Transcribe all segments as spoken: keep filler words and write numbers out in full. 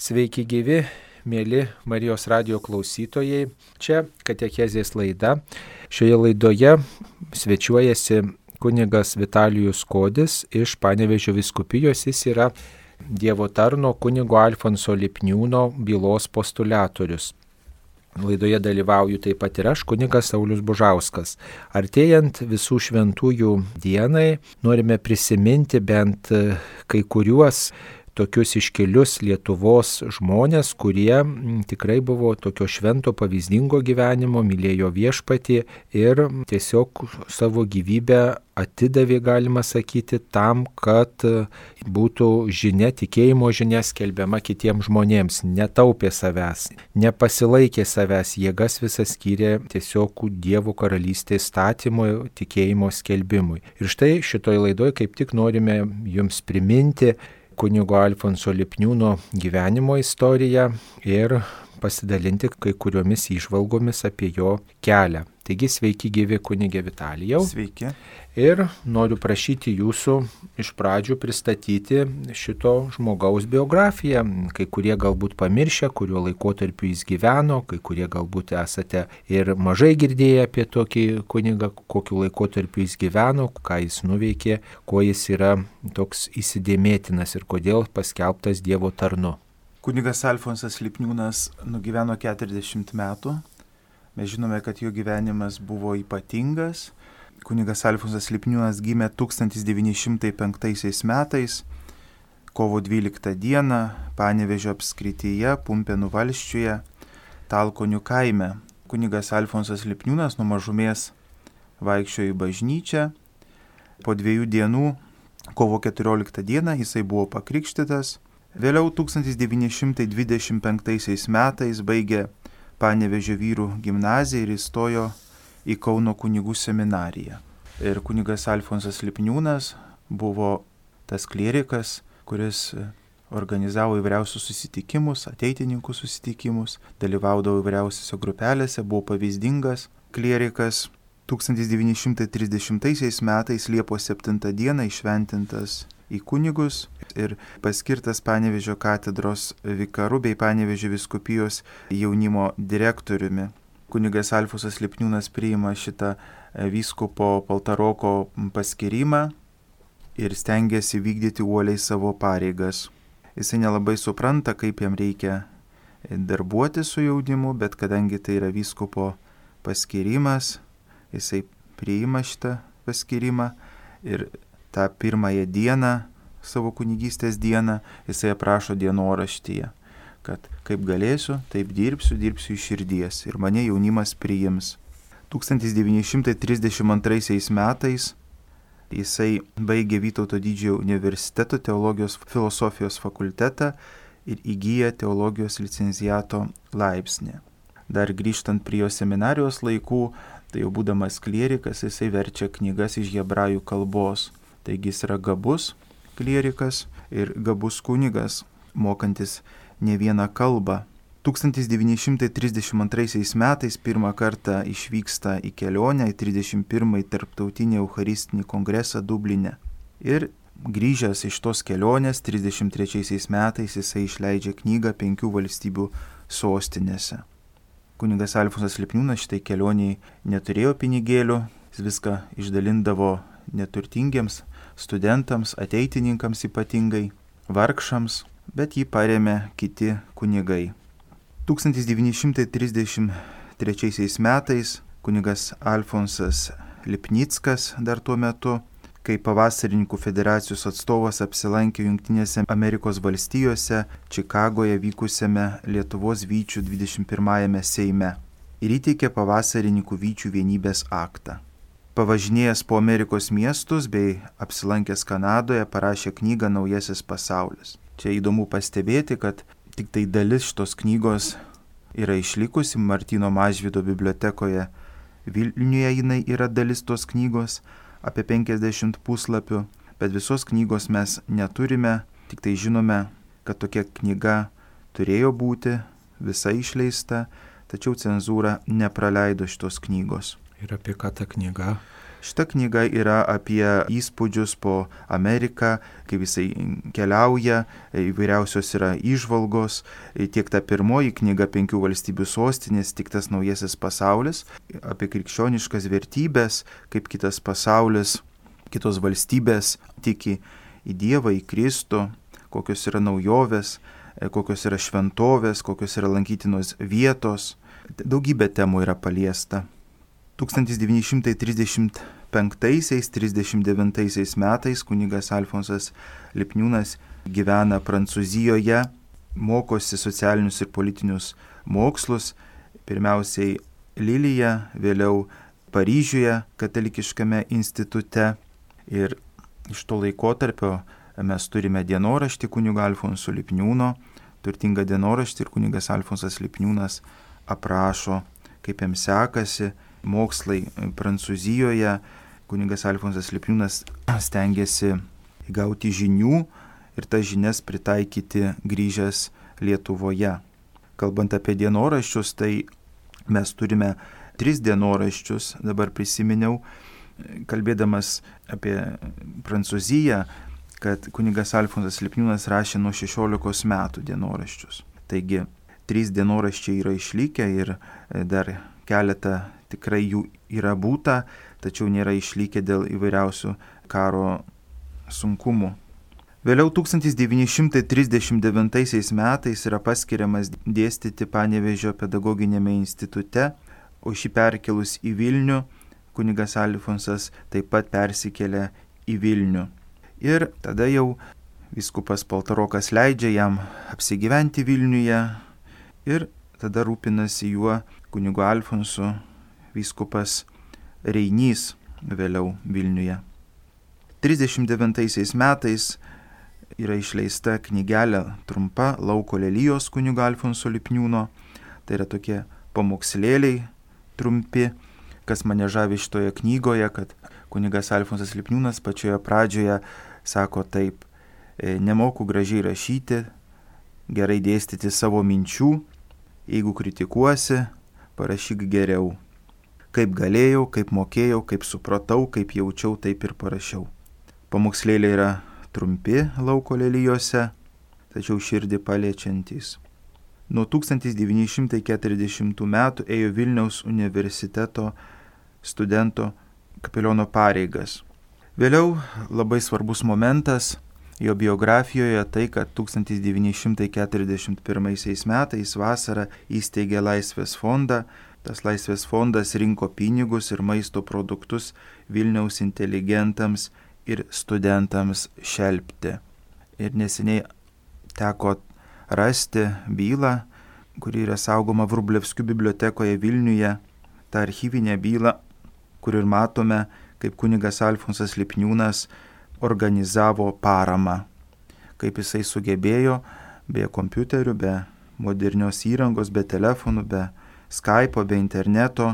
Sveiki gyvi, mėly Marijos radijo klausytojai. Čia Katechezės laida. Šioje laidoje svečiuojasi kunigas Vitalijus Kodis iš Panevėžio vyskupijos. Jis yra Dievo tarno kunigo Alfonso Lipniūno bylos postuliatorius. Laidoje dalyvauju taip pat ir aš, kunigas Saulius Bužauskas. Artėjant visų šventųjų dienai, norime prisiminti bent kai kuriuos tokius iškilius Lietuvos žmonės, kurie tikrai buvo tokio švento pavyzdingo gyvenimo, mylėjo viešpatį ir tiesiog savo gyvybę atidavė, galima sakyti, tam, kad būtų žinia, tikėjimo žinia skelbiama kitiems žmonėms, netaupė savęs, nepasilaikė savęs, jėgas visas skyrė tiesiog Dievo karalystės statymui, tikėjimo skelbimui. Ir štai šitoj laidoj kaip tik norime jums priminti kunigo Alfonso Lipniūno gyvenimo istoriją ir pasidalinti kai kuriomis įžvalgomis apie jo kelią. Taigi sveiki gyvi kunige Vitalijau. Sveiki. Ir noriu prašyti jūsų iš pradžių pristatyti šito žmogaus biografiją. Kai kurie galbūt pamiršę, kuriuo laikotarpiu jis gyveno, kai kurie galbūt esate ir mažai girdėję apie tokį kunigą, kokiu laikotarpiu jis gyveno, ką jis nuveikė, kuo jis yra toks įsidėmėtinas ir kodėl paskelbtas Dievo tarnu. Kunigas Alfonsas Lipniūnas nugyveno keturiasdešimt metų. Mes žinome, kad jo gyvenimas buvo ypatingas. Kunigas Alfonsas Lipniūnas gimė tūkstantis devyni šimtai penktaisiais metais, kovo dvyliktą dieną, Panevėžio apskrityje, Pumpėnų valsčiuje, Talkonių kaime. Kunigas Alfonsas Lipniūnas nuo mažumės vaikščiojo į bažnyčią. Po dviejų dienų, kovo keturioliktą dieną, jisai buvo pakrikštytas. Vėliau tūkstantis devyni šimtai dvidešimt penktaisiais metais baigė Panevėžio vyrų gimnaziją ir įstojo į Kauno kunigų seminariją. Ir kunigas Alfonsas Lipniūnas buvo tas klierikas, kuris organizavo įvairiausius susitikimus, ateitininkų susitikimus, dalyvaudavo įvairiausiose grupelėse, buvo pavyzdingas klierikas. tūkstantis devyni šimtai trisdešimtaisiais metais Liepos septintą dieną įšventintas į kunigus ir paskirtas Panevėžio katedros vikaru bei Panevėžio vyskupijos jaunimo direktoriumi. Kunigas Alfonsas Lipniūnas priima šitą vyskupo Paltaroko paskirimą ir stengiasi vykdyti uoliai savo pareigas. Jisai nelabai supranta, kaip jam reikia darbuoti su jaunimu, bet kadangi tai yra vyskupo paskirimas, jisai priima šitą paskirimą ir tą pirmąją dieną, savo kunigystės dieną, jisai aprašo dienoraštyje, kad kaip galėsiu, taip dirbsiu, dirbsiu iš širdies ir mane jaunimas priims. tūkstantis devyni šimtai trisdešimt antraisiais metais jisai baigė Vytauto Didžiojo universiteto teologijos filosofijos fakultetą ir įgyja teologijos licenciato laipsnį. Dar grįžtant prie jo seminarijos laikų, tai jau būdamas klierikas, jisai verčia knygas iš hebrajų kalbos. Taigi jis yra gabus klierikas ir gabus kunigas, mokantis ne vieną kalbą. tūkstantis devyni šimtai trisdešimt antraisiais metais pirmą kartą išvyksta į kelionę į trisdešimt pirmąjį tarptautinį eucharistinį kongresą Dubline. Ir grįžęs iš tos kelionės trisdešimt trečiaisiais metais jisai išleidžia knygą penkių valstybių sostinėse. Kunigas Alfonsas Lipniūnas šitai kelioniai neturėjo pinigėlių, jis viską išdalindavo neturtingiems studentams, ateitininkams ypatingai, vargšams, bet jį parėmė kiti kunigai. tūkstantis devyni šimtai trisdešimt trečiaisiais metais kunigas Alfonsas Lipnickas dar tuo metu, kai pavasarininkų federacijos atstovas apsilankė Jungtinėse Amerikos valstijose, Čikagoje vykusiame Lietuvos vyčių dvidešimt pirmajame Seime ir įteikė pavasarininkų vyčių vienybės aktą. Pavažinėjęs po Amerikos miestus bei apsilankęs Kanadoje parašė knygą Naujasis pasaulis. Čia įdomu pastebėti, kad tik tai dalis šitos knygos yra išlikusi Martyno Mažvydo bibliotekoje. Vilniuje jinai yra dalis tos knygos, apie penkiasdešimt puslapių, bet visos knygos mes neturime, tik tai žinome, kad tokia knyga turėjo būti, visa išleista, tačiau cenzūra nepraleido šitos knygos. Ir apie ką ta knyga? Šita knyga yra apie įspūdžius po Ameriką, kaip jisai keliauja, įvairiausios yra įžvalgos, tiek ta pirmoji knyga Penkių valstybių sostinės, tiek tas naujasis pasaulis, apie krikščioniškas vertybės, kaip kitas pasaulis, kitos valstybės tiki į Dievą, į Kristų, kokios yra naujovės, kokios yra šventovės, kokios yra lankytinos vietos. Daugybė temų yra paliesta. tūkstantis devyni šimtai trisdešimt penktaisiais trisdešimt devintaisiais metais kunigas Alfonsas Lipniūnas gyvena Prancūzijoje, mokosi socialinius ir politinius mokslus, pirmiausiai Lilyje, vėliau Paryžiuje katalikiškame institute. Ir iš to laikotarpio mes turime dienoraštį kunigo Alfonso Lipniūno, turtingą dienoraštį, ir kunigas Alfonsas Lipniūnas aprašo, kaip jam sekasi mokslai Prancūzijoje. Kunigas Alfonsas Lipniūnas stengiasi įgauti žinių ir tas žinias pritaikyti grįžęs Lietuvoje. Kalbant apie dienoraščius, tai mes turime tris dienoraščius, dabar prisiminiau, kalbėdamas apie Prancūziją, kad kunigas Alfonsas Lipniūnas rašė nuo šešiolikos metų dienoraščius. Taigi, trys dienoraščiai yra išlikę ir dar keletą tikrai jų yra būta, tačiau nėra išlikę dėl įvairiausių karo sunkumų. Vėliau tūkstantis devyni šimtai trisdešimt devintaisiais metais yra paskiriamas dėstyti Panevėžio pedagoginėme institute, o šį perkelus į Vilnių, kunigas Alfonsas taip pat persikėlė į Vilnių. Ir tada jau vyskupas Paltarokas leidžia jam apsigyventi Vilniuje ir tada rūpinasi juo kunigu Alfonsu vyskupas Reinys vėliau Vilniuje. trisdešimt devintaisiais metais yra išleista knygelė trumpa Lauko lelijos kunigo Alfonso Lipniūno. Tai yra tokie pamokslėliai trumpi, kas mane žavi šitoje knygoje, kad kunigas Alfonsas Lipniūnas pačioje pradžioje sako taip: nemoku gražiai rašyti, gerai dėstyti savo minčių, jeigu kritikuosi, parašyk geriau. Kaip galėjau, kaip mokėjau, kaip supratau, kaip jaučiau, taip ir parašiau. Pamokslėliai yra trumpi Lauko lelijose, tačiau širdį paliečiantys. Nuo tūkstantis devyni šimtai keturiasdešimtų metų ėjo Vilniaus universiteto studento kapeliono pareigas. Vėliau labai svarbus momentas jo biografijoje tai, kad tūkstantis devyni šimtai keturiasdešimt pirmaisiais metais vasarą įsteigė Laisvės fondą. Tas Laisvės fondas rinko pinigus ir maisto produktus Vilniaus inteligentams ir studentams šelpti. Ir neseniai teko rasti bylą, kuri yra saugoma Vrublevskių bibliotekoje Vilniuje, tą archyvinę bylą, kur ir matome, kaip kunigas Alfonsas Lipniūnas organizavo paramą, kaip jisai sugebėjo be kompiuterių, be modernios įrangos, be telefonų, be Skype'o, be interneto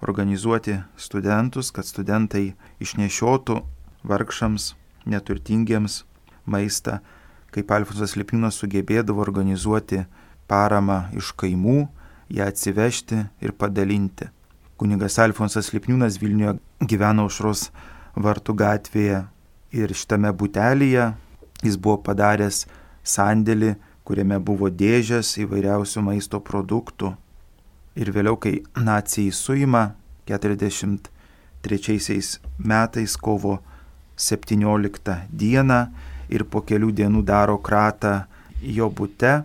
organizuoti studentus, kad studentai išnešiotų vargšams, neturtingiems maistą, kaip Alfonsas Lipniūnas sugebėdavo organizuoti paramą iš kaimų, ją atsivežti ir padalinti. Kunigas Alfonsas Lipniūnas Vilniuje gyveno Aušros vartų gatvėje ir šitame butelyje jis buvo padaręs sandėlį, kuriame buvo dėžės įvairiausių maisto produktų. Ir vėliau, kai nacijai suima keturiasdešimt trečiaisiais metais kovo septynioliktą dieną ir po kelių dienų daro kratą jo bute,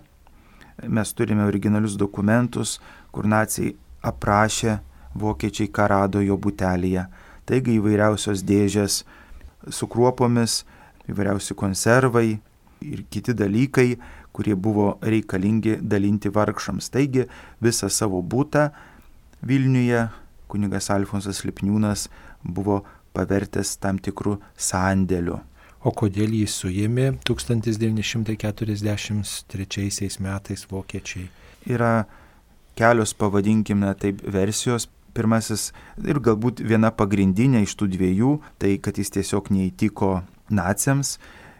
mes turime originalius dokumentus, kur nacijai aprašė vokiečiai, ką rado jo butelyje. Taigi įvairiausios dėžės su kruopomis, įvairiausi konservai ir kiti dalykai, kurie buvo reikalingi dalinti vargšams. Taigi visą savo butą Vilniuje kunigas Alfonsas Lipniūnas buvo pavertęs tam tikrų sandėlių. O kodėl jį suėmė tūkstantis devyni šimtai keturiasdešimt trečiaisiais metais vokiečiai? Yra kelios, pavadinkime taip, versijos. Pirmasis ir galbūt viena pagrindinė iš tų dviejų, tai kad jis tiesiog neįtiko naciams.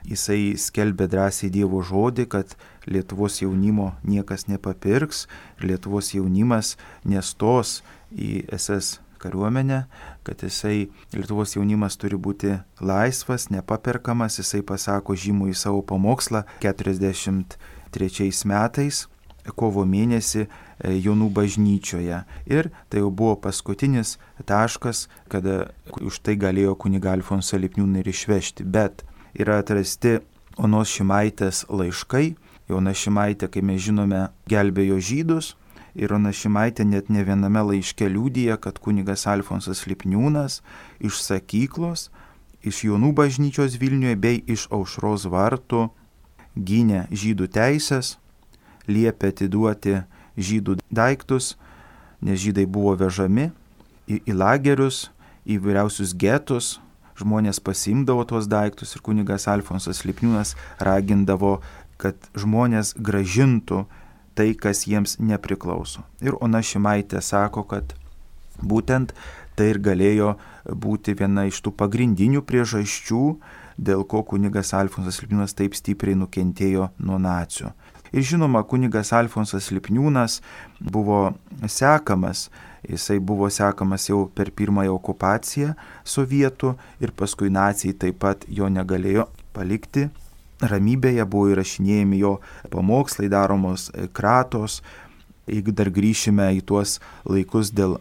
Jisai skelbė drąsiai Dievo žodį, kad Lietuvos jaunimo niekas nepapirks ir Lietuvos jaunimas nestos į es es kariuomenę, kad jisai, Lietuvos jaunimas turi būti laisvas, nepaperkamas, jisai pasako žymų į savo pamokslą keturiasdešimt trečiais metais, kovo mėnesį Jonų bažnyčioje. Ir tai jau buvo paskutinis taškas, kada už tai galėjo kunigą Alfonsą Lipniūną ir išvežti. Bet yra atrasti Onos Šimaitės laiškai. Ona Šimaitė, kai mes žinome, gelbėjo žydus. Ir Ona Šimaitė net ne viename laiške liudija, kad kunigas Alfonsas Lipniūnas iš sakyklos, iš Jonų bažnyčios Vilniuje bei iš Aušros vartų gynė žydų teisės, liepė atiduoti žydų daiktus, nes žydai buvo vežami į, į lagerius, į vyriausius getus, žmonės pasiimdavo tuos daiktus ir kunigas Alfonsas Lipniūnas ragindavo, kad žmonės gražintų tai, kas jiems nepriklauso. Ir Ona Šimaitė sako, kad būtent tai ir galėjo būti viena iš tų pagrindinių priežasčių, dėl ko kunigas Alfonsas Lipniūnas taip stipriai nukentėjo nuo nacių. Ir žinoma, kunigas Alfonsas Lipniūnas buvo sekamas, jisai buvo sekamas jau per pirmąją okupaciją sovietų ir paskui naciai taip pat jo negalėjo palikti. Ramybėje buvo įrašinėjami jo pamokslai, daromos kratos. Jeigu dar grįšime į tuos laikus dėl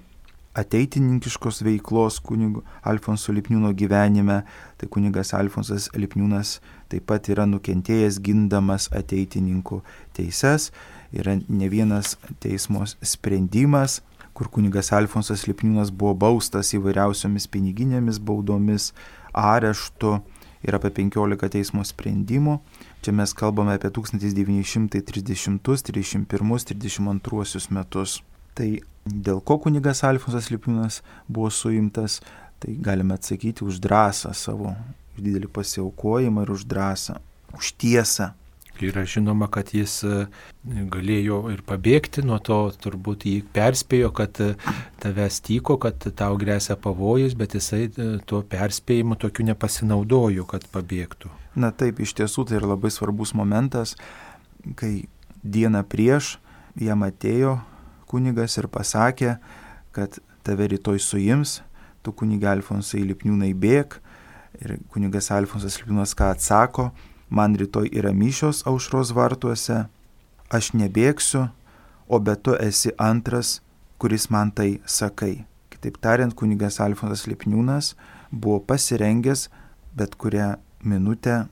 ateitininkiškos veiklos kunigo Alfonso Lipniūno gyvenime, tai kunigas Alfonsas Lipniūnas taip pat yra nukentėjęs gindamas ateitininkų teises. Yra ne vienas teismo sprendimas, kur kunigas Alfonsas Lipniūnas buvo baustas įvairiausiomis piniginėmis baudomis, areštu ir apie penkiolika teismo sprendimų. Čia mes kalbame apie tūkstantis devyni šimtai trisdešimtus, trisdešimt pirmus, trisdešimt antruosius metus. Tai dėl ko kunigas Alfonsas Lipniūnas buvo suimtas, tai galime atsakyti už drąsą savo, už didelį pasiaukojimą ir už drąsą, už tiesą. Yra žinoma, kad jis galėjo ir pabėgti nuo to, turbūt jį perspėjo, kad tavęs tyko, kad tau grėsia pavojus, bet jisai tuo perspėjimu tokiu nepasinaudojo, kad pabėgtų. Na taip, iš tiesų tai yra labai svarbus momentas, kai dieną prieš jam atėjo kunigas ir pasakė, kad tave rytoj suims, tu kunigą Alfonsai Lipniūnai bėk. Ir kunigas Alfonsas Lipniūnas ką atsako: man rytoj yra mišios Aušros vartuose, aš nebėgsiu, o bet tu esi antras, kuris man tai sakai. Kitaip tariant, kunigas Alfonsas Lipniūnas buvo pasirengęs bet kurią minutę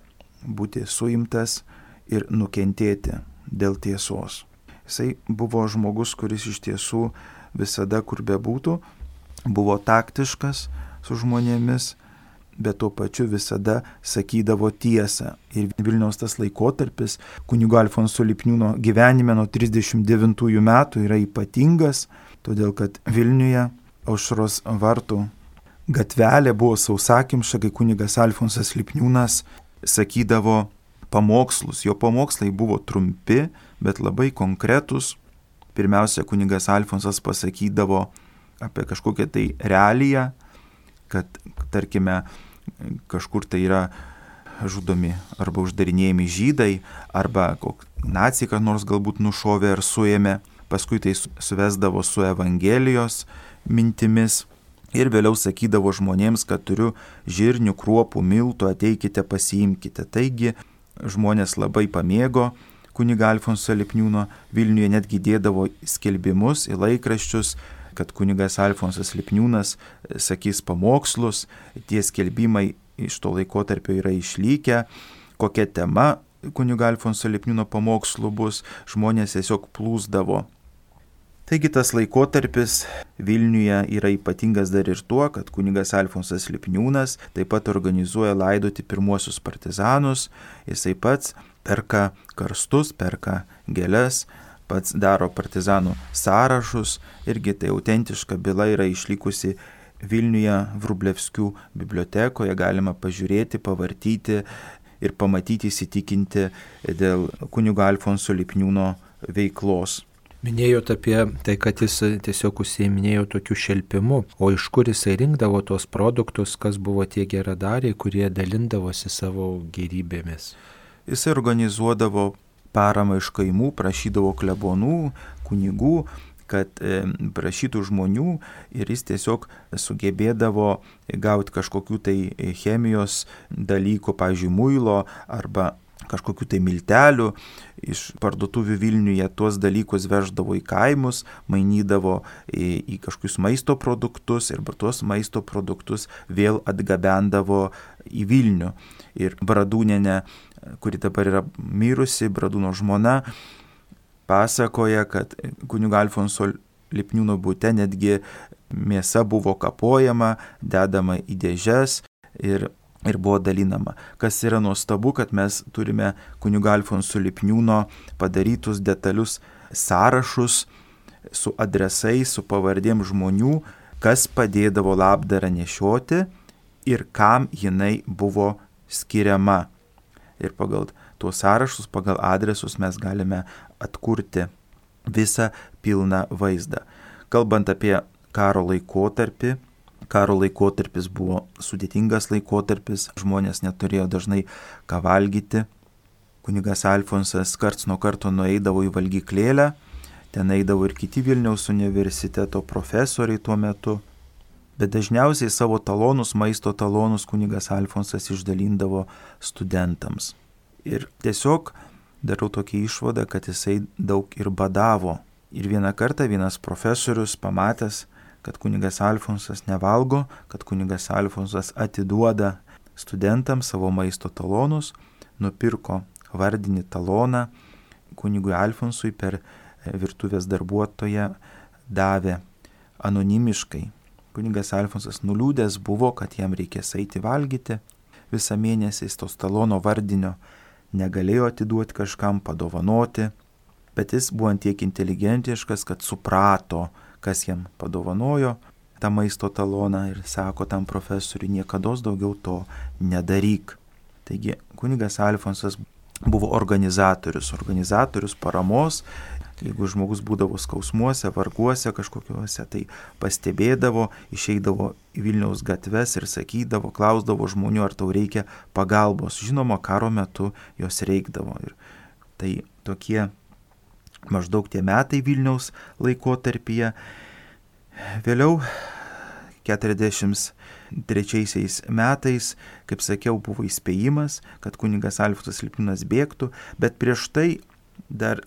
būti suimtas ir nukentėti dėl tiesos. Jisai buvo žmogus, kuris iš tiesų visada, kur bebūtų, buvo taktiškas su žmonėmis, bet tuo pačiu visada sakydavo tiesą. Ir Vilniaus tas laikotarpis kunigo Alfonso Lipniūno gyvenime nuo trisdešimt devintųjų metų yra ypatingas, todėl kad Vilniuje Aušros vartų gatvelė buvo sausakimša, kai kunigas Alfonsas Lipniūnas sakydavo pamokslus. Jo pamokslai buvo trumpi, bet labai konkretus. Pirmiausia, kunigas Alfonsas pasakydavo apie kažkokią tai realiją, kad, tarkime, kažkur tai yra žudomi arba uždarinėjami žydai, arba naciai kas nors galbūt nušovė ar suėmė. Paskui tai suvesdavo su Evangelijos mintimis ir vėliau sakydavo žmonėms, kad turiu žirnių, kruopų, miltų, ateikite, pasiimkite. Taigi žmonės labai pamėgo kunigą Alfonsą Lipniūną. Vilniuje netgi dėdavo skelbimus į laikraščius, kad kunigas Alfonsas Lipniūnas sakys pamokslus. Tie skelbimai iš to laikotarpio yra išlikę. Kokia tema kunigo Alfonso Lipniūno pamokslų bus, žmonės tiesiog plūsdavo. Taigi tas laikotarpis Vilniuje yra ypatingas dar ir tuo, kad kunigas Alfonsas Lipniūnas taip pat organizuoja laidoti pirmuosius partizanus. Jisai pats perka karstus, perka gėles, pats daro partizanų sąrašus. Irgi tai autentiška byla yra išlikusi Vilniuje Vrublevskių bibliotekoje. Galima pažiūrėti, pavartyti ir pamatyti, įsitikinti dėl kunigo Alfonso Lipniūno veiklos. Minėjot apie tai, kad jis tiesiog užsiiminėjo tokiu šelpimu, o iš kur jisai rinkdavo tos produktus, kas buvo tie geradariai, kurie dalindavosi savo gėrybėmis. Jisai organizuodavo paramą iš kaimų, prašydavo klebonų, kunigų, kad e, prašytų žmonių ir jis tiesiog sugebėdavo gauti kažkokių tai chemijos dalykų, pavyzdžiui, muilo arba kažkokių tai miltelių iš parduotuvių Vilniuje, tuos dalykus veždavo į kaimus, mainydavo į, į kažkokius maisto produktus ir tuos maisto produktus vėl atgabendavo į Vilnių. Ir Bradūnienė, kuri dabar yra mirusi, Bradūno žmona, pasakoja, kad kunigo Alfonso Lipniūno bute netgi mėsa buvo kapojama, dedama į dėžes ir ir buvo dalinama. Kas yra nuostabu, kad mes turime kunigo Alfonso Lipniūno padarytus detalius sąrašus su adresais, su pavardėm žmonių, kas padėdavo labdarą nešioti ir kam jinai buvo skiriama. Ir pagal tuos sąrašus, pagal adresus mes galime atkurti visą pilną vaizdą. Kalbant apie karo laikotarpį, Karo laikotarpis buvo sudėtingas laikotarpis, žmonės neturėjo dažnai ką valgyti. Kunigas Alfonsas karts nuo karto nueidavo į valgyklėlę, ten eidavo ir kiti Vilniaus universiteto profesoriai tuo metu, bet dažniausiai savo talonus, maisto talonus kunigas Alfonsas išdalindavo studentams. Ir tiesiog darau tokią išvadą, kad jisai daug ir badavo. Ir vieną kartą vienas profesorius pamatęs, kad kunigas Alfonsas nevalgo, kad kunigas Alfonsas atiduoda studentams savo maisto talonus, nupirko vardinį taloną, kunigui Alfonsui per virtuvės darbuotoją davė anonimiškai. Kunigas Alfonsas nuliūdęs buvo, kad jam reikės eiti valgyti. Visą mėnesį jis tos talono vardinio negalėjo atiduoti kažkam, padovanoti, bet jis buvo antiek inteligentiškas, kad suprato, kas jam padovanojo tą maisto taloną ir sako tam profesoriui, niekados daugiau to nedaryk. Taigi kunigas Alfonsas buvo organizatorius, organizatorius paramos. Jeigu žmogus būdavo skausmuose, varguose kažkokiuose, tai pastebėdavo, išeidavo į Vilniaus gatves ir sakydavo, klausdavo žmonių, ar tau reikia pagalbos. Žinoma, karo metu jos reikdavo. Ir tai tokie maždaug tie metai Vilniaus laikotarpyje. Vėliau keturiasdešimt trečiaisiais metais, kaip sakiau, buvo įspėjimas, kad kunigas Alfonsas Lipniūnas bėgtų, bet prieš tai dar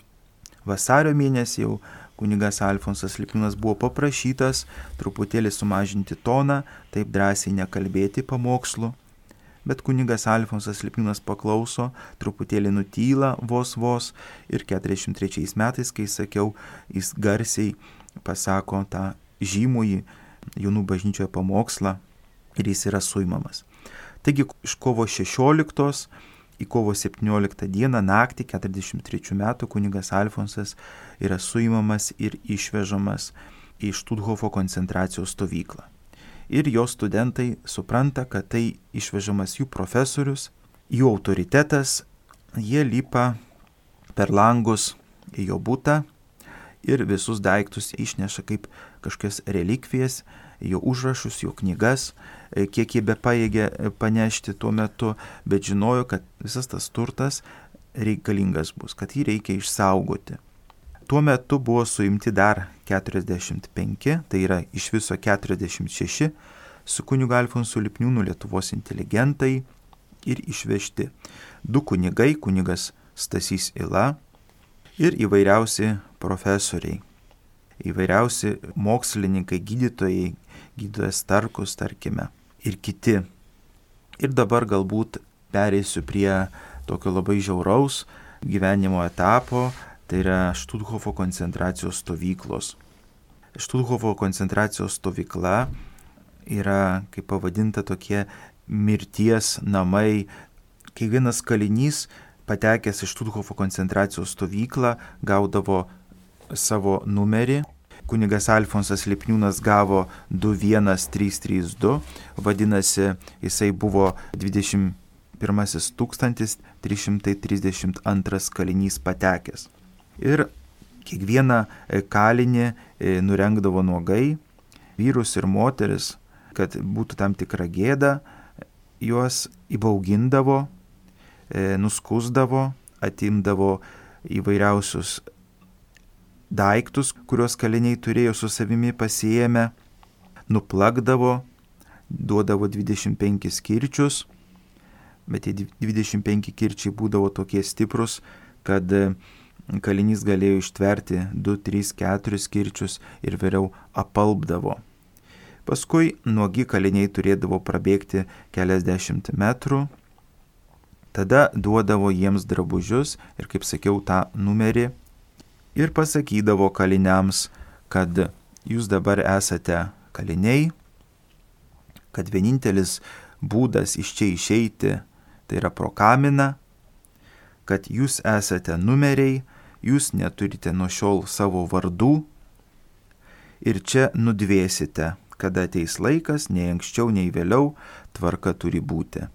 vasario mėnesį jau kunigas Alfonsas Lipniūnas buvo paprašytas truputėlį sumažinti toną, taip drąsiai nekalbėti pamokslų. Bet kunigas Alfonsas Lipniūnas paklauso, truputėlį nutyla vos vos ir keturiasdešimt trečiais metais, kai sakiau, jis garsiai pasako tą žymųjį jaunų bažnyčioje pamokslą ir jis yra suimamas. Taigi iš kovo šešioliktos į kovo septynioliktą dieną naktį keturiasdešimt trečių metų kunigas Alfonsas yra suimamas ir išvežamas į Štuthofo koncentracijos stovyklą. Ir jo studentai supranta, kad tai išvežamas jų profesorius, jų autoritetas, jie lipa per langus į jo butą ir visus daiktus išneša kaip kažkokias relikvijas, jo užrašus, jo knygas, kiek jie be pajėgė panešti tuo metu, bet žinojo, kad visas tas turtas reikalingas bus, kad jį reikia išsaugoti. Tuo metu buvo suimti dar keturiasdešimt penki, tai yra iš viso keturiasdešimt šeši, su kunigu Alfonsu Lipniūnu Lietuvos inteligentai ir išvežti du kunigai, kunigas Stasys Yla ir įvairiausi profesoriai, įvairiausi mokslininkai, gydytojai, gydytojas Starkus, tarkime, ir kiti. Ir dabar galbūt pereisiu prie tokio labai žiauraus gyvenimo etapo, tai yra Štuthofo koncentracijos stovyklos. Štuthofo koncentracijos stovykla yra, kaip pavadinta, tokie mirties namai. Kiekvienas kalinys, patekęs į Štuthofo koncentracijos stovyklą, gaudavo savo numerį. Kunigas Alfonsas Lipniūnas gavo du vienas trys trys du, vadinasi, jisai buvo dvidešimt pirmasis tūkstantis trys šimtai trisdešimt antras kalinys patekęs. Ir kiekvieną kalinį nurengdavo nuogai, vyrus ir moteris, kad būtų tam tikra gėda, juos įbaugindavo, nuskusdavo, atimdavo įvairiausius daiktus, kuriuos kaliniai turėjo su savimi pasiėmę, nuplakdavo, duodavo dvidešimt penkis kirčius, bet tie dvidešimt penki kirčiai būdavo tokie stiprus, kad kalinys galėjo ištverti du, tris, keturis kirčius ir vėliau apalpdavo. Paskui nuogi kaliniai turėdavo prabėgti keliasdešimt metrų, tada duodavo jiems drabužius ir, kaip sakiau, tą numerį ir pasakydavo kaliniams, kad jūs dabar esate kaliniai, kad vienintelis būdas iš čia išeiti tai yra pro kaminą, kad jūs esate numeriai, jūs neturite nuo šiol savo vardų ir čia nudvėsite, kada ateis laikas, nei anksčiau, nei vėliau, tvarka turi būti.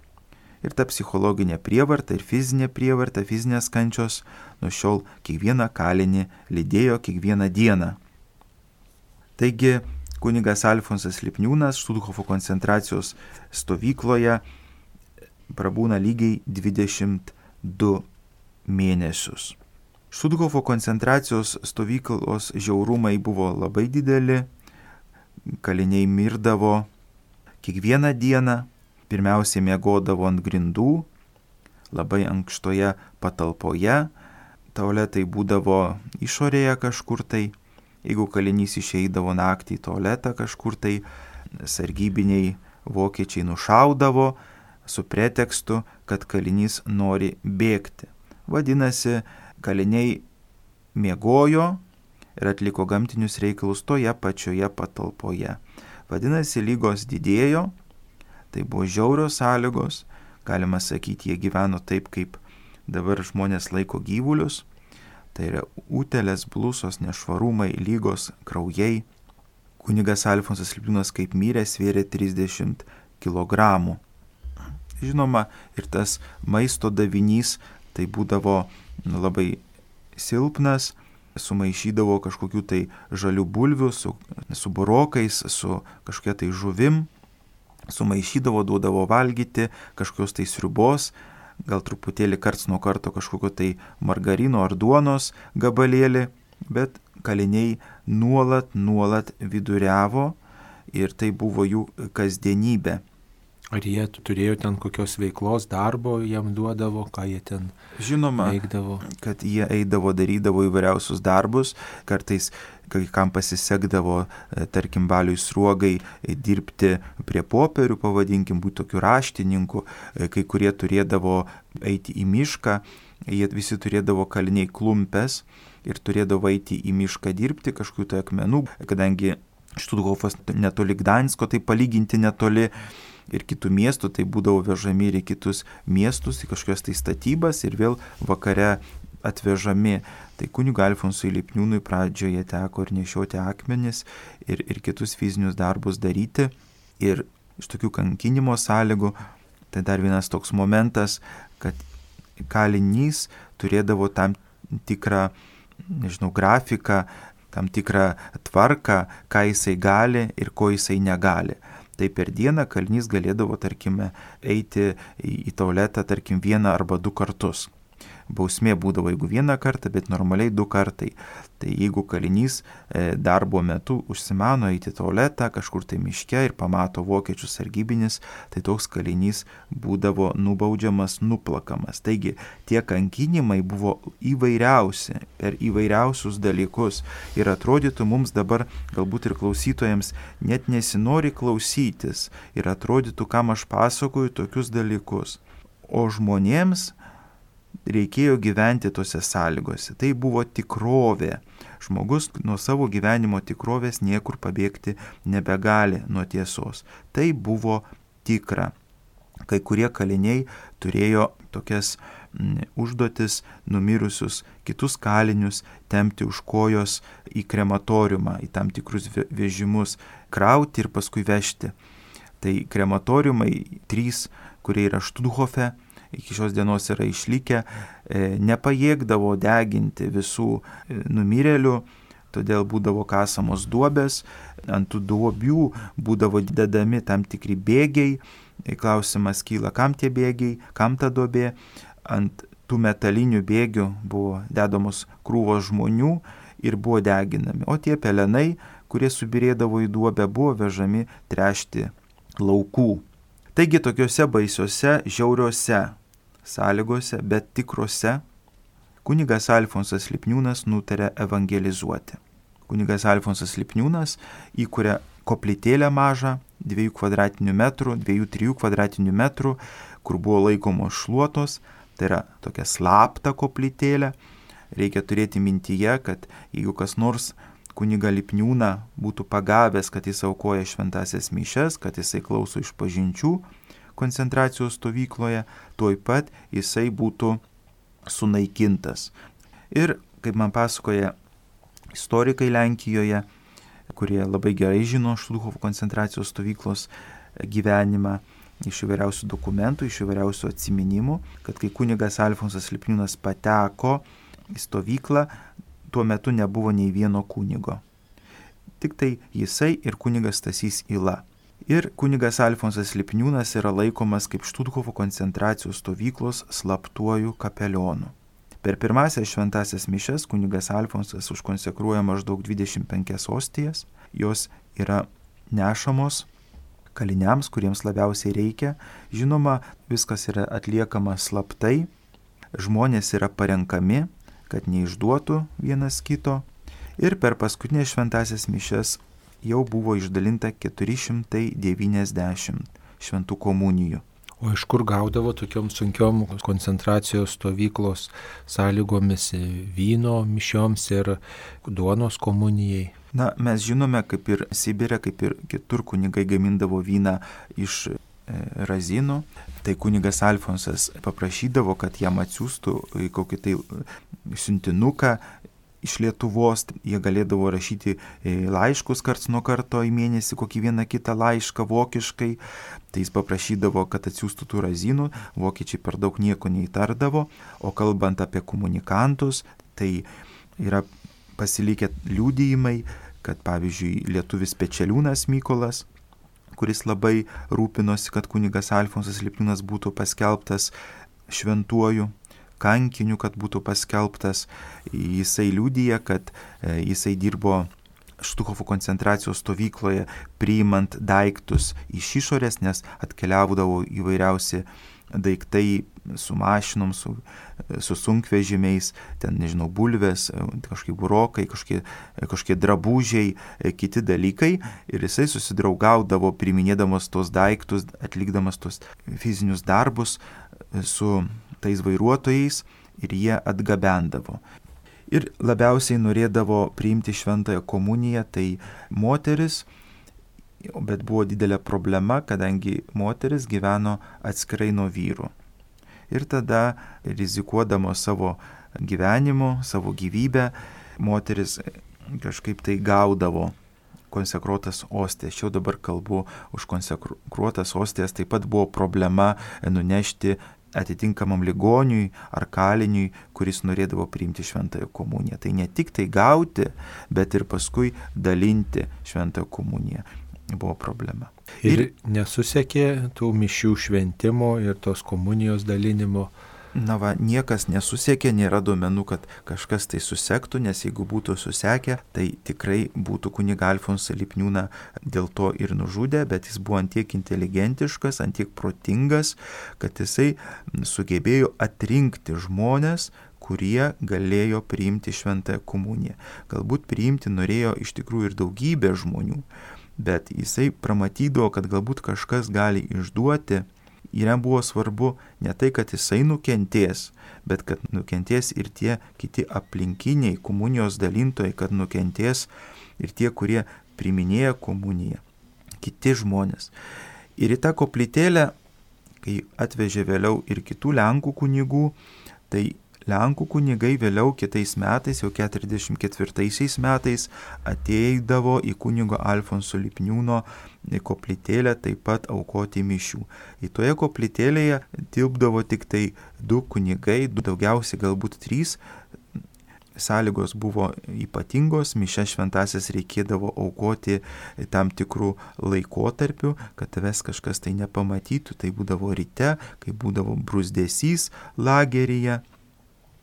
Ir ta psichologinė prievarta ir fizinė prievarta, fizinės kančios nuo šiol kiekvieną kalinį lydėjo kiekvieną dieną. Taigi kunigas Alfonsas Lipniūnas Štuthofo koncentracijos stovykloje prabūna lygiai dvidešimt du mėnesius. Štuthofo koncentracijos stovyklos žiaurumai buvo labai dideli, kaliniai mirdavo kiekvieną dieną, pirmiausiai miegodavo ant grindų, labai ankštoje patalpoje, tualetai būdavo išorėje kažkur tai, jeigu kalinys išeidavo naktį į tualetą kažkur tai, sargybiniai vokiečiai nušaudavo su pretekstu, kad kalinys nori bėgti. Vadinasi, kaliniai miegojo ir atliko gamtinius reikalus toje pačioje patalpoje. Vadinasi, lygos didėjo, tai buvo žiaurios sąlygos, galima sakyti, jie gyveno taip, kaip dabar žmonės laiko gyvulius, tai yra utėlės, blusos, nešvarumai, lygos, kraujai. Kunigas Alfonsas Lipniūnas kaip mirė svėrė trisdešimt kilogramų. Žinoma, ir tas maisto davinys tai būdavo labai silpnas, sumaišydavo kažkokių tai žalių bulvių su, su burokais, su kažkokia tai žuvim, sumaišydavo, duodavo valgyti, kažkokios tai sriubos, gal truputėlį karts nuo karto kažkokio tai margarino ar duonos gabalėlį, bet kaliniai nuolat, nuolat viduriavo ir tai buvo jų kasdienybė. Ar jie turėjo ten kokios veiklos, darbo jam duodavo, ką jie ten Žinoma, veikdavo? Kad jie eidavo, darydavo įvairiausius darbus, kartais kai kam pasisekdavo, tarkim, Baliui Sruogai dirbti prie popierių, pavadinkim, būti tokiu raštininku, kai kurie turėdavo eiti į mišką, jie visi turėdavo kaliniai klumpes ir turėdavo eiti į mišką dirbti kažkokių tai akmenų, kadangi Štuthofas netoli Gdansko, tai palyginti netoli ir kitų miestų, tai būdavo vežami ir į kitus miestus, į kažkokias tai statybas ir vėl vakare atvežami. Tai kunigui Alfonsui Lipniūnui pradžioje teko ir nešioti akmenis ir, ir kitus fizinius darbus daryti. Ir iš tokių kankinimo sąlygų, tai dar vienas toks momentas, kad kalinys turėdavo tam tikrą, nežinau, grafiką, tam tikrą tvarką, ką jisai gali ir ko jisai negali. Tai per dieną kalinys galėdavo, tarkime, eiti į tualetą, tarkim, vieną arba du kartus. Bausmė būdavo, jeigu vieną kartą, bet normaliai du kartai. Tai jeigu kalinys darbo metu užsimano eiti į tualetą kažkur tai miške ir pamato vokiečių sargybinis, tai toks kalinys būdavo nubaudžiamas, nuplakamas. Taigi tie kankinimai buvo įvairiausi, per įvairiausius dalykus. Ir atrodytų mums dabar, galbūt ir klausytojams, net nesinori klausytis. Ir atrodytų, kam aš pasakoju tokius dalykus. O žmonėms reikėjo gyventi tose sąlygose. Tai buvo tikrovė. Žmogus nuo savo gyvenimo tikrovės niekur pabėgti nebegali nuo tiesos. Tai buvo tikra. Kai kurie kaliniai turėjo tokias m, užduotis numirusius kitus kalinius tempti už kojos į krematoriumą, į tam tikrus vežimus, krauti ir paskui vežti. Tai krematoriumai trys, kurie yra Štuthofe, iki šios dienos yra išlikę, nepajėgdavo deginti visų numirėlių, todėl būdavo kasamos duobės, ant tų duobių būdavo dedami tam tikri bėgiai, klausimas kyla, kam tie bėgiai, kam ta duobė, ant tų metalinių bėgių buvo dedamos krūvos žmonių ir buvo deginami, o tie pelenai, kurie subirėdavo į duobę, buvo vežami tręšti laukų. Taigi tokiuose baisiuose, žiauriuose sąlygose, bet tikrose, kunigas Alfonsas Lipniūnas nutarė evangelizuoti. Kunigas Alfonsas Lipniūnas įkuria koplytėlę mažą, dviejų kvadratinių metrų, dviejų trijų kvadratinių metrų, kur buvo laikomos šluotos, tai yra tokia slapta koplytėlė. Reikia turėti mintyje, kad jeigu kas nors kunigą Lipniūną būtų pagavęs, kad jis aukoja šventasias mišias, kad jisai klauso išpažinčių koncentracijos stovykloje, tuoj pat jisai būtų sunaikintas. Ir, kaip man pasakoja istorikai Lenkijoje, kurie labai gerai žino Štuthofo koncentracijos stovyklos gyvenimą, iš įvairiausių dokumentų, iš įvairiausių atsiminimų, kad kai kunigas Alfonsas Lipniūnas pateko į stovyklą, tuo metu nebuvo nei vieno kunigo. Tik tai jisai ir kunigas Stasys Yla. Ir kunigas Alfonsas Lipniūnas yra laikomas kaip Štuthofo koncentracijos stovyklos slaptuoju kapelionu. Per pirmąsias šventasias mišias kunigas Alfonsas užkonsekruoja maždaug dvidešimt penkias ostijas. Jos yra nešamos kaliniams, kuriems labiausiai reikia. Žinoma, viskas yra atliekama slaptai. Žmonės yra parenkami, kad neišduotų vienas kito. Ir per paskutinės šventasias mišias jau buvo išdalinta keturi šimtai devyniasdešimt šventų komunijų. O iš kur gaudavo tokiom sunkiom koncentracijos stovyklos sąlygomis vyno mišioms ir duonos komunijai? Na, mes žinome, kaip ir Sibire, kaip ir kitur kunigai gamindavo vyną iš e, razinų. Tai kunigas Alfonsas paprašydavo, kad jam atsiųstų kokį tai siuntinuką iš Lietuvos. Jie galėdavo rašyti laiškus karts nuo karto į mėnesį, kokį vieną kitą laišką vokiškai. Tai jis paprašydavo, kad atsiųstų tų razinų. Vokiečiai per daug nieko neįtardavo. O kalbant apie komunikantus, tai yra pasilikę liudijimai, kad pavyzdžiui lietuvis Pečeliūnas Mykolas, kuris labai rūpinosi, kad kunigas Alfonsas Lipniūnas būtų paskelbtas šventuoju kankiniu, kad būtų paskelbtas. Jisai liudija, kad jisai dirbo Štuthofo koncentracijos stovykloje priimant daiktus iš išorės, nes atkeliaudavo įvairiausi daiktai su mašinom, su, su sunkvežimiais, ten, nežinau, bulvės, kažkokie burokai, kažkokie, kažkokie drabužiai, kiti dalykai. Ir jisai susidraugaudavo priiminėdamas tos daiktus, atlikdamas tos fizinius darbus su tais vairuotojais ir jie atgabendavo. Ir labiausiai norėdavo priimti šventąją komuniją, tai moteris, bet buvo didelė problema, kadangi moteris gyveno atskirai nuo vyrų. Ir tada, rizikuodama savo gyvenimu, savo gyvybę, moteris kažkaip tai gaudavo konsekruotas ostijas. Čia dabar kalbu už konsekruotas ostijas, taip pat buvo problema nunešti atitinkamam ligoniui ar kaliniui, kuris norėdavo priimti šventąją komuniją. Tai ne tik tai gauti, bet ir paskui dalinti šventąją komuniją buvo problema. Ir, ir nesusekė tų mišių šventimo ir tos komunijos dalinimo? Na va, niekas nesusekė, nėra duomenų, kad kažkas tai susektų, nes jeigu būtų susekę, tai tikrai būtų kunigą Alfonsą Lipniūną dėl to ir nužudę, bet jis buvo antiek inteligentiškas, antiek protingas, kad jisai sugebėjo atrinkti žmonės, kurie galėjo priimti šventąją komuniją. Galbūt priimti norėjo iš tikrųjų ir daugybė žmonių, bet jisai pramatydavo, kad galbūt kažkas gali išduoti. Ir jam buvo svarbu ne tai, kad jisai nukentės, bet kad nukentės ir tie kiti aplinkiniai komunijos dalintojai, kad nukentės ir tie, kurie priiminėja komuniją, kiti žmonės. Ir į tą koplytėlę, kai atvežė vėliau ir kitų Lenkų kunigų, tai Lenkų kunigai vėliau kitais metais, jau keturiasdešimt ketvirtaisiais metais, ateidavo į kunigo Alfonso Lipniūno koplytėlę taip pat aukoti mišių. Į toje koplytėlėje tilpdavo tik tai du kunigai, daugiausiai galbūt trys. Sąlygos buvo ypatingos, mišias šventasias reikėdavo aukoti tam tikrų laikotarpių, kad tavęs kažkas tai nepamatytų. Tai būdavo ryte, kai būdavo bruzdesys lageryje.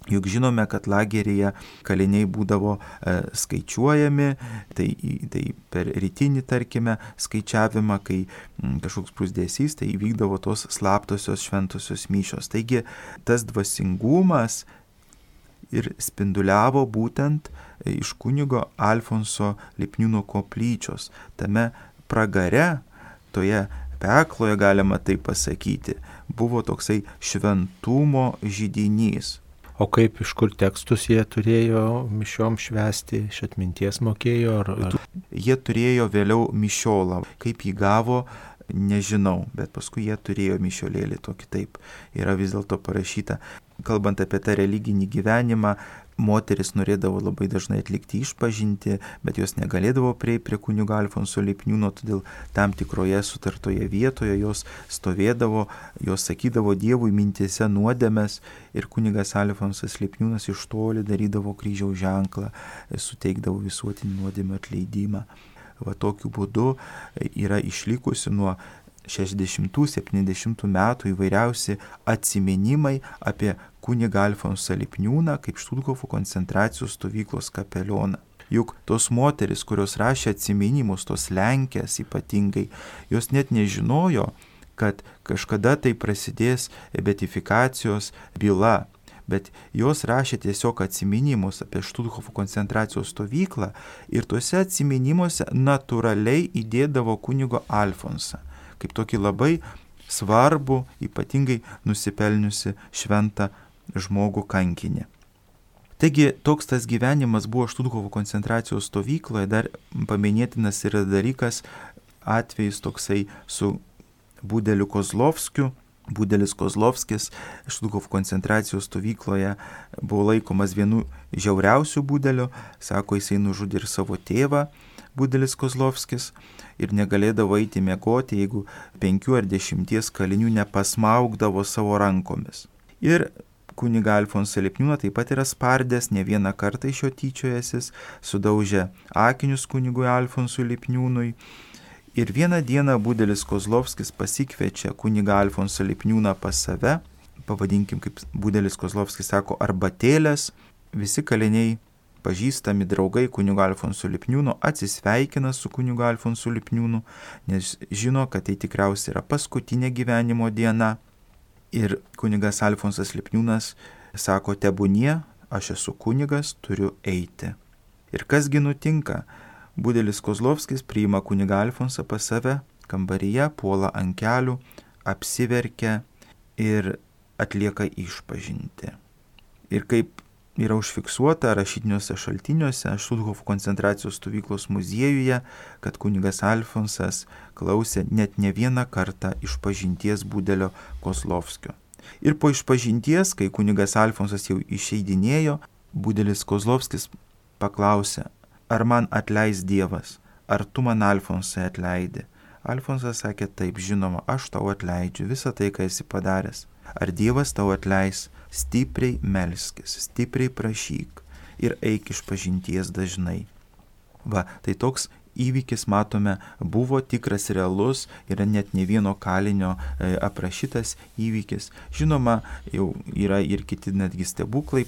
Juk žinome, kad lageryje kaliniai būdavo e, skaičiuojami, tai, tai per rytinį, tarkime, skaičiavimą, kai m, kažkoks pusdėsys, tai įvykdavo tos slaptosios šventosios mišios. Taigi tas dvasingumas ir spinduliavo būtent iš kunigo Alfonso Lipniūno koplyčios. Tame pragare, toje pekloje, galima taip pasakyti, buvo toksai šventumo židinys. O kaip, iš kur tekstus jie turėjo mišiom švęsti, iš atminties mokėjo? Ar, ar... Jie turėjo vėliau mišiolą. Kaip jį gavo, nežinau, bet paskui jie turėjo mišiolėlį tokį, taip yra vis dėlto parašyta. Kalbant apie tą religinį gyvenimą, moteris norėdavo labai dažnai atlikti išpažintį, bet jos negalėdavo prieiti prie kunigo Alfonso Lipniūno, todėl tam tikroje sutartoje vietoje jos stovėdavo, jos sakydavo Dievui mintyse nuodėmes ir kunigas Alfonsas Lipniūnas iš toli darydavo kryžiaus ženklą, suteikdavo visuotinį nuodėmę atleidimą. Va tokiu būdu yra išlikusi nuo šešiasdešimtų septyniasdešimtų metų įvairiausi atsiminimai apie kunigą Alfonsą Lipniūną kaip Štuthofo koncentracijos stovyklos kapelioną. Juk tos moteris, kurios rašė atsiminimus, tos Lenkės ypatingai, jos net nežinojo, kad kažkada tai prasidės beatifikacijos byla, bet jos rašė tiesiog atsiminimus apie Štuthofo koncentracijos stovyklą ir tuose atsiminimuose natūraliai įdėdavo kunigo Alfonsą kaip tokį labai svarbų, ypatingai nusipelniusi šventą žmogų kankinį. Taigi toks tas gyvenimas buvo Štuthofo koncentracijos stovykloje. Dar paminėtinas yra dalykas, atvejis toksai su Budeliu Kozlovskiu. Budelis Kozlovskis Štuthofo koncentracijos stovykloje buvo laikomas vienu žiauriausių Budelių. Sako, jisai nužudė ir savo tėvą, Budelis Kozlovskis, ir negalėdavo eiti miegoti, jeigu penkių ar dešimties kalinių nepasmaugdavo savo rankomis. Ir kunigą Alfonsą Lipniūną taip pat yra spardęs, ne vieną kartą iš jo tyčiojęsis, sudaužė akinius kunigui Alfonsui Lipniūnui. Ir vieną dieną Budelis Kozlovskis pasikviečia kunigą Alfonsą Lipniūną pas save, pavadinkim, kaip Budelis Kozlovskis sako, arbatėlės. Visi kaliniai, pažįstami draugai kunigo Alfonso Lipniūno, atsisveikina su kunigu Alfonsu Lipniūnu, nes žino, kad tai tikriausiai yra paskutinė gyvenimo diena. Ir kunigas Alfonsas Lipniūnas sako, tebūnie, aš esu kunigas, turiu eiti. Ir kasgi nutinka? Budelis Kozlovskis priima kunigą Alfonsą pas save kambaryje, puola ant kelių, apsiverkia ir atlieka išpažintį. Ir kaip yra užfiksuota rašytiniuose šaltiniuose Štuthofo koncentracijos stovyklos muziejuje, kad kunigas Alfonsas klausė net ne vieną kartą išpažinties Budelio Kozlovskio. Ir po išpažinties, kai kunigas Alfonsas jau išeidinėjo, Budelis Kozlovskis paklausė, ar man atleis Dievas, ar tu man, Alfonsai, atleidi? Alfonsas sakė, taip, žinoma, aš tau atleidžiu visą tai, ką esi padaręs. Ar Dievas tau atleis? Stipriai melskis, stipriai prašyk ir eik išpažinties dažnai. Va, tai toks įvykis, matome, buvo tikras, realus, yra net ne vieno kalinio e, aprašytas įvykis. Žinoma, jau yra ir kiti netgi stebuklai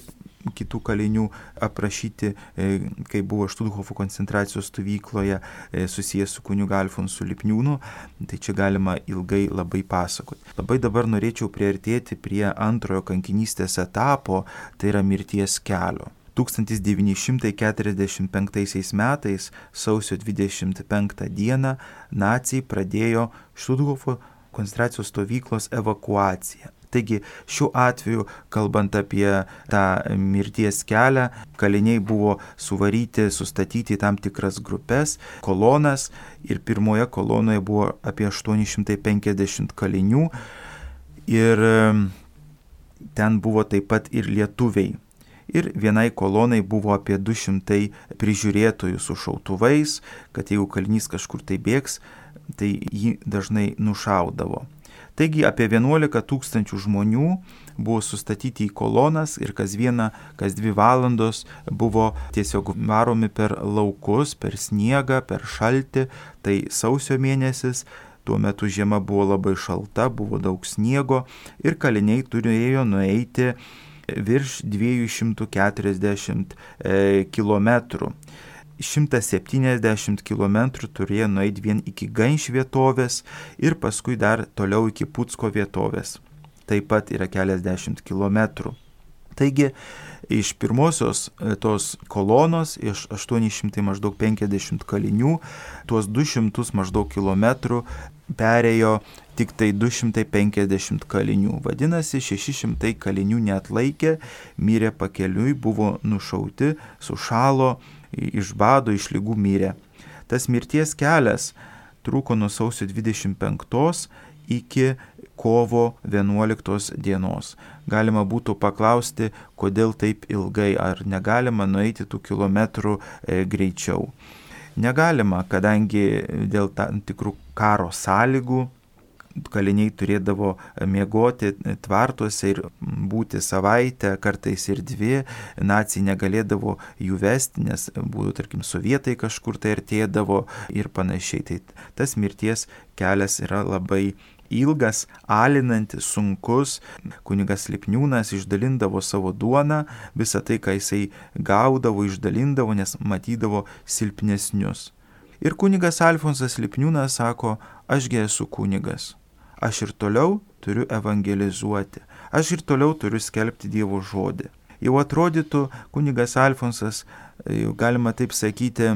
kitų kalinių aprašyti, e, kai buvo Štuthofo koncentracijos stovykloje e, susijęs su kunigu Alfonsu Lipniūnu, tai čia galima ilgai labai pasakoti. Labai dabar norėčiau priartėti prie antrojo kankinystės etapo, tai yra mirties kelio. tūkstantis devyni šimtai keturiasdešimt penktaisiais metais, sausio dvidešimt penktą dieną, naciai pradėjo Štuthofo koncentracijos stovyklos evakuaciją. Taigi šiuo atveju, kalbant apie tą mirties kelią, kaliniai buvo suvaryti, sustatyti į tam tikras grupės, kolonas, ir pirmoje kolonoje buvo apie aštuoni šimtai penkiasdešimt kalinių ir ten buvo taip pat ir lietuviai. Ir vienai kolonai buvo apie du šimtai prižiūrėtojų su šautuvais, kad jeigu kalinys kažkur tai bėgs, tai jį dažnai nušaudavo. Taigi apie vienuolika tūkstančių žmonių buvo sustatyti į kolonas ir kas vieną, kas dvi valandos buvo tiesiog varomi per laukus, per sniegą, per šaltį. Tai sausio mėnesis, tuo metu žiema buvo labai šalta, buvo daug sniego ir kaliniai turėjo nueiti virš dviejų šimtų keturiasdešimt kilometrų. šimtas septyniasdešimt kilometrų turėjo nueiti vien iki Ganš vietovės ir paskui dar toliau iki Pucko vietovės. Taip pat yra keliasdešimt kilometrų. Taigi iš pirmosios tos kolonos, iš aštuoni šimtai maždaug penkiasdešimt kalinių, tuos du šimtus maždaug kilometrų perėjo tik tai du šimtai penkiasdešimt kalinių. Vadinasi, šeši šimtai kalinių neatlaikė, mirė pakeliui, buvo nušauti, sušalo, iš bado, iš ligų mirė. Tas mirties kelias truko nuo sausio dvidešimt penktos iki kovo vienuoliktos dienos. Galima būtų paklausti, kodėl taip ilgai, ar negalima nueiti tų kilometrų e, greičiau. Negalima, kadangi dėl tam tikrų karo sąlygų kaliniai turėdavo miegoti tvartuose ir būti savaitę, kartais ir dvi, naciai negalėdavo jų vesti, nes būtų, tarkim, sovietai kažkur tai artėdavo ir panašiai. Tai tas mirties kelias yra labai ilgas, alinantis, sunkus. Kunigas Lipniūnas išdalindavo savo duoną, visą tai, ką jisai gaudavo, išdalindavo, nes matydavo silpnesnius. Ir kunigas Alfonsas Lipniūnas sako, ašgi esu kunigas, aš ir toliau turiu evangelizuoti, aš ir toliau turiu skelbti Dievo žodį. Jau atrodytų, kunigas Alfonsas, galima taip sakyti,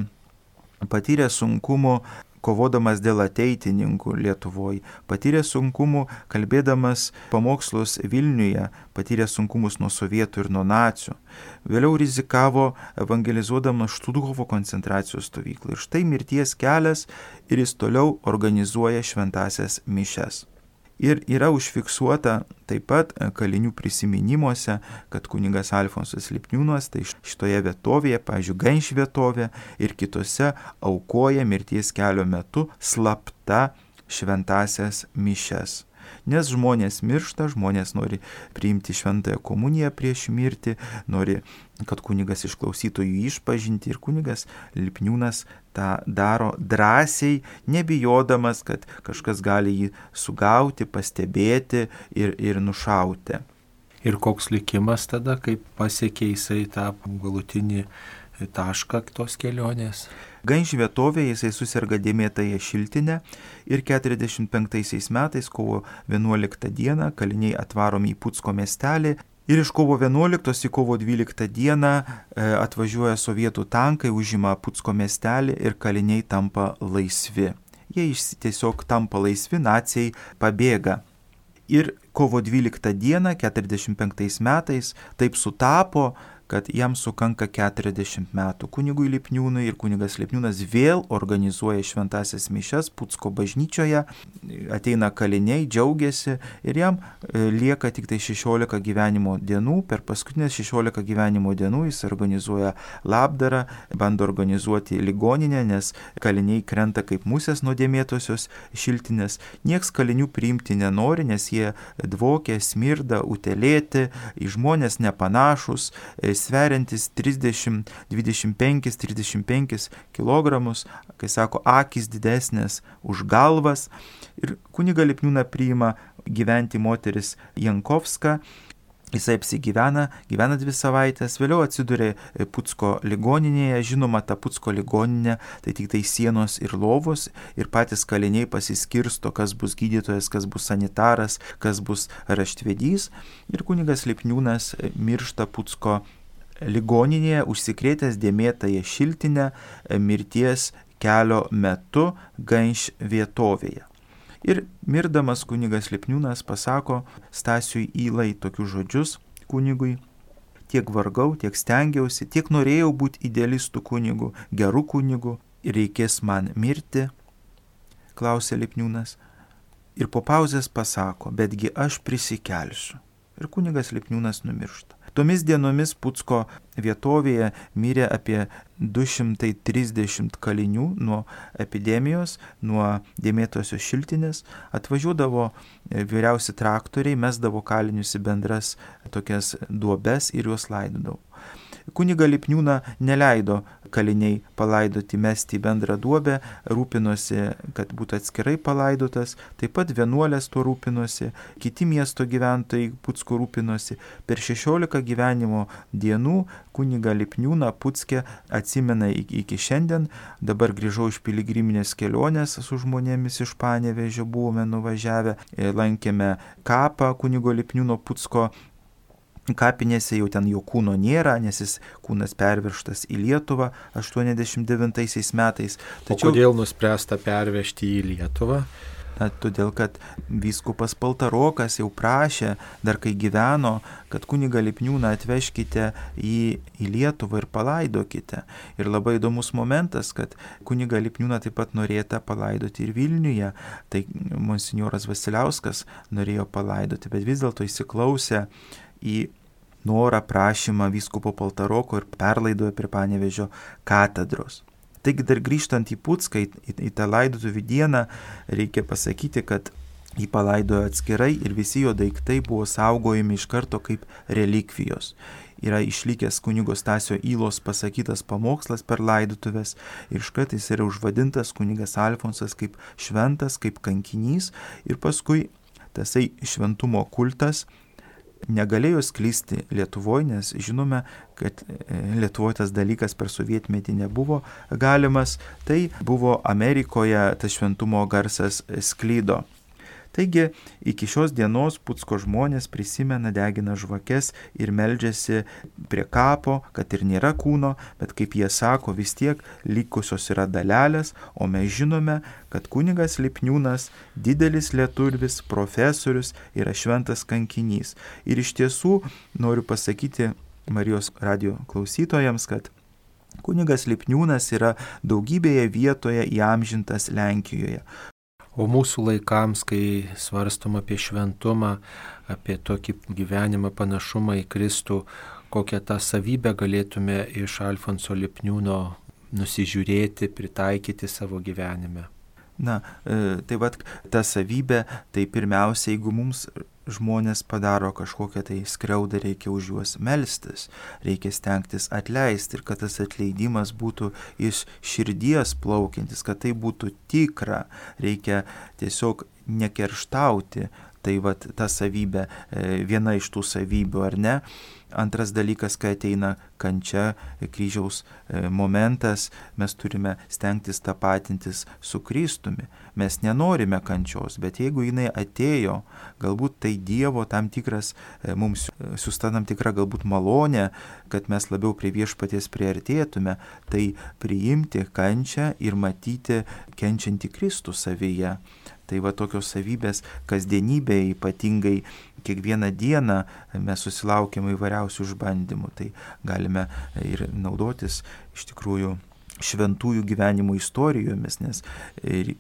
patyrė sunkumų kovodamas dėl ateitininkų Lietuvoje, patyrė sunkumų kalbėdamas pamokslus Vilniuje, patyrė sunkumus nuo sovietų ir nuo nacių. Vėliau rizikavo evangelizuodamas Štuthovo koncentracijos stovyklą. Ir štai mirties kelias ir jis toliau organizuoja šventąsias mišias. Ir yra užfiksuota taip pat kalinių prisiminimuose, kad kunigas Alfonsas Lipniūnas tai šitoje vietovėje, pavyzdžiui, Ganš vietovė ir kitose aukoja mirties kelio metu slapta šventąsias mišias. Nes žmonės miršta, žmonės nori priimti šventąją komuniją prieš mirtį, nori, kad kunigas išklausytų jų išpažinti, ir kunigas Lipniūnas tą daro drąsiai, nebijodamas, kad kažkas gali jį sugauti, pastebėti ir, ir nušauti. Ir koks likimas tada, kaip pasiekė jisai tą galutinį tašką tos kelionės? Ganš vietovėje jisai susirga dėmėtąją šiltinę ir keturiasdešimt penktaisiais metais kovo vienuoliktą dieną kaliniai atvaromi į Pucko miestelį ir iš kovo vienuoliktos į kovo dvyliktą dieną e, atvažiuoja sovietų tankai, užima Pucko miestelį ir kaliniai tampa laisvi. Jie tiesiog tampa laisvi, naciai pabėga. Ir kovo dvyliktą dieną keturiasdešimt penktais metais taip sutapo, kad jam sukanka keturiasdešimt metų. Kunigui Lipniūnui ir kunigas Lipniūnas vėl organizuoja šventąsias mišias Pucko bažnyčioje, ateina kaliniai, džiaugiasi ir jam lieka tik tai šešiolika gyvenimo dienų. Per paskutinės šešiolika gyvenimo dienų jis organizuoja labdarą, bando organizuoti ligoninę, nes kaliniai krenta kaip musės nuo dėmėtosios šiltinės. Nieks kalinių priimti nenori, nes jie dvokia, smirda, utelėti, į žmonės nepanašus, sveriantis trisdešimt, dvidešimt penkis, trisdešimt penkis kilogramus, kai sako, akys didesnės už galvas. Ir kunigą Lipniūną priima gyventi moteris Jankovska. Jisai apsigyvena, gyvena dvi savaitės, vėliau atsiduria Pucko ligoninėje. Žinoma, ta Pucko ligoninė tai tik tai sienos ir lovos, ir patys kaliniai pasiskirsto, kas bus gydytojas, kas bus sanitaras, kas bus raštvedys. Ir kunigas Lipniūnas miršta Pucko ligoninėje, užsikrėtęs dėmėtąją šiltinę mirties kelio metu Ganš vietovėje. Ir mirdamas kunigas Lipniūnas pasako Stasiui Ylai tokius žodžius kunigui: tiek vargau, tiek stengiausi, tiek norėjau būti idealistų kunigu, gerų kunigu, ir reikės man mirti, klausė Lipniūnas. Ir po pauzės pasako, betgi aš prisikelsiu. Ir kunigas Lipniūnas numiršta. Tomis dienomis Pucko vietovėje mirė apie du šimtai trisdešimt kalinių nuo epidemijos, nuo dėmėtosios šiltinės. Atvažiuodavo vyriausi traktoriai, mesdavo kalinius į bendras tokias duobes ir juos laidodavo. Kunigą Lipniūną neleido kaliniai palaidoti, mesti į bendrą duobę, rūpinosi, kad būtų atskirai palaidotas, taip pat vienuolės tuo rūpinosi, kiti miesto gyventojai Pucko rūpinosi. Per šešiolika gyvenimo dienų kunigą Lipniūną Pucke atsimena iki šiandien. Dabar grįžau iš piligriminės kelionės su žmonėmis iš Panevėžio, buvome nuvažiavę, lankėme kapą kunigo Lipniūno Pucko kapinėse, jau ten jo kūno nėra, nes jis kūnas pervežtas į Lietuvą aštuoniasdešimt devintaisiais metais. Tačiau, o kodėl nuspręsta pervežti į Lietuvą? Na, todėl, kad vyskupas Paltarokas jau prašė, dar kai gyveno, kad kunigą Lipniūną atvežkite į, į Lietuvą ir palaidokite. Ir labai įdomus momentas, kad kunigą Lipniūną taip pat norėta palaidoti ir Vilniuje. Tai monsinjoras Vasiliauskas norėjo palaidoti, bet vis dėlto įsiklausė į norą, prašymą vyskupo Paltaroko ir perlaidojo prie Panevėžio katedros. Taigi dar grįžtant į Pucką, į, į, į tą laidotuvių dieną, reikia pasakyti, kad jį palaidojo atskirai ir visi jo daiktai buvo saugojami iš karto kaip relikvijos. Yra išlikęs kunigo Stasio Ylos pasakytas pamokslas per laidotuvės ir iškart jis yra užvadintas kunigas Alfonsas kaip šventas, kaip kankinys, ir paskui tasai šventumo kultas negalėjo sklisti Lietuvoje, nes žinome, kad Lietuvoje tas dalykas per sovietmetį nebuvo galimas, tai buvo Amerikoje tas šventumo garsas sklydo. Taigi iki šios dienos Pucko žmonės prisimena, degina žvakes ir meldžiasi prie kapo, kad ir nėra kūno, bet kaip jie sako, vis tiek likusios yra dalelės, o mes žinome, kad kunigas Lipniūnas, didelis lietuvis, profesorius, yra šventas kankinys. Ir iš tiesų noriu pasakyti Marijos radijo klausytojams, kad kunigas Lipniūnas yra daugybėje vietoje įamžintas Lenkijoje. O mūsų laikams, kai svarstom apie šventumą, apie tokį gyvenimą panašumą į Kristų, kokią tą savybę galėtume iš Alfonso Lipniūno nusižiūrėti, pritaikyti savo gyvenime? Na, tai vat ta savybė, tai pirmiausia, jeigu mums žmonės padaro kažkokią tai skriaudą, reikia už juos melstis, reikia stengtis atleisti ir kad tas atleidimas būtų iš širdies plaukiantis, kad tai būtų tikra, reikia tiesiog nekerštauti. Tai vat ta savybė, viena iš tų savybių, ar ne? Antras dalykas, kai ateina kančia, kryžiaus momentas, mes turime stengtis tapatintis su Kristumi. Mes nenorime kančios, bet jeigu jinai atėjo, galbūt tai Dievo tam tikras, mums siųsta tam tikra galbūt malonė, kad mes labiau prie viešpaties priartėtume, tai priimti kančią ir matyti kenčiantį Kristų savyje. Tai va tokios savybės kasdienybėje, ypatingai kiekvieną dieną mes susilaukiame įvairiausių išbandymų. Tai galime ir naudotis iš tikrųjų šventųjų gyvenimo istorijomis, nes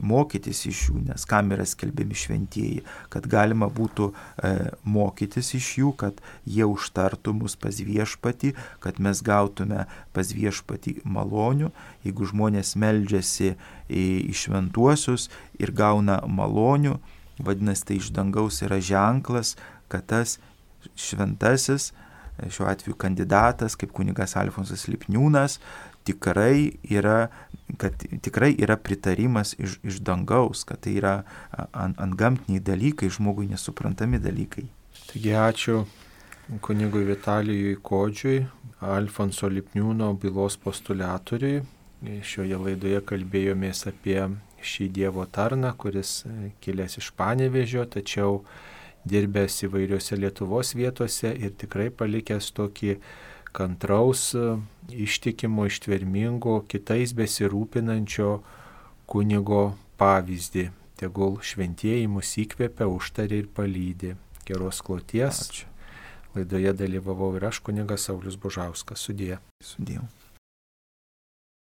mokytis iš jų, nes kam yra skelbiami šventieji, kad galima būtų e, mokytis iš jų, kad jie užtartų mus pas viešpatį, kad mes gautume pas viešpatį malonių. Jeigu žmonės meldžiasi į, į šventuosius ir gauna malonių, vadinasi, tai iš dangaus yra ženklas, kad tas šventasis, šiuo atveju kandidatas, kaip kunigas Alfonsas Lipniūnas, tikrai yra, kad tikrai yra pritarimas iš, iš dangaus, kad tai yra ant, ant gamtiniai dalykai, žmogui nesuprantami dalykai. Taigi ačiū kunigui Vitalijui Kodžiui, Alfonso Lipniūno bylos postuliatoriui. Šioje laidoje kalbėjomės apie šį Dievo tarną, kuris kilęs iš Panevėžio, tačiau dirbęs įvairiose Lietuvos vietose ir tikrai palikęs tokį kantraus, ištikimo, ištvermingo, kitais besirūpinančio kunigo pavyzdį. Tegul šventieji mus įkvepia, užtaria ir palydi. Geros kloties. Ačiū. Laidoje dalyvavau ir aš, kunigas Saulius Bužauskas. Sudie. Sudie.